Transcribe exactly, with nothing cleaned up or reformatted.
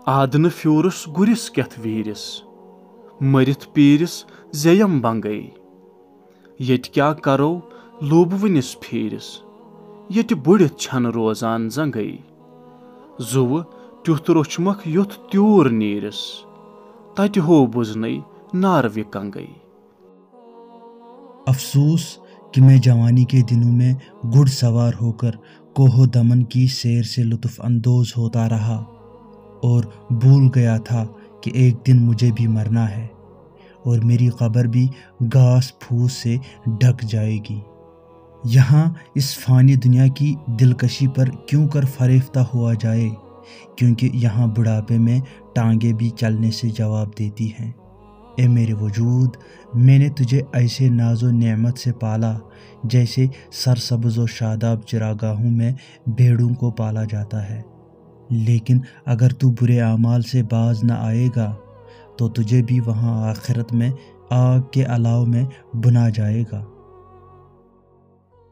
آدنہٕ پھیوٗرُس گُرِس کٮ۪تھ ویٖرِس، مٔرِتھ پیٖرِس زیٚیم بنگے۔ ییٚتہِ کیٛاہ کرو لوٗبوٕنِس پھیٖرِس، ییٚتہِ بُڑِتھ چھَنہٕ روزان زنگے۔ زُوٕ تیُتھ روچھمکھ یُتھ تیوٗر نیٖرِس، تتہِ ہو بُزنَے ناروِ کنگے۔ افسوس کہ میں جوانی کے دنوں میں گھڑ سوار ہوکر کوہ و دمن کی سیر سے لطف اندوز ہوتا رہا اور بھول گیا تھا کہ ایک دن مجھے بھی مرنا ہے اور میری قبر بھی گھاس پھوس سے ڈھک جائے گی۔ یہاں اس فانی دنیا کی دلکشی پر کیوں کر فریفتہ ہوا جائے، کیونکہ یہاں بڑھاپے میں ٹانگیں بھی چلنے سے جواب دیتی ہیں۔ اے میرے وجود، میں نے تجھے ایسے ناز و نعمت سے پالا جیسے سرسبز و شاداب چراگاہوں میں بھیڑوں کو پالا جاتا ہے، لیکن اگر تو برے اعمال سے باز نہ آئے گا تو تجھے بھی وہاں آخرت میں آگ کے الاؤ میں بھنا جائے گا۔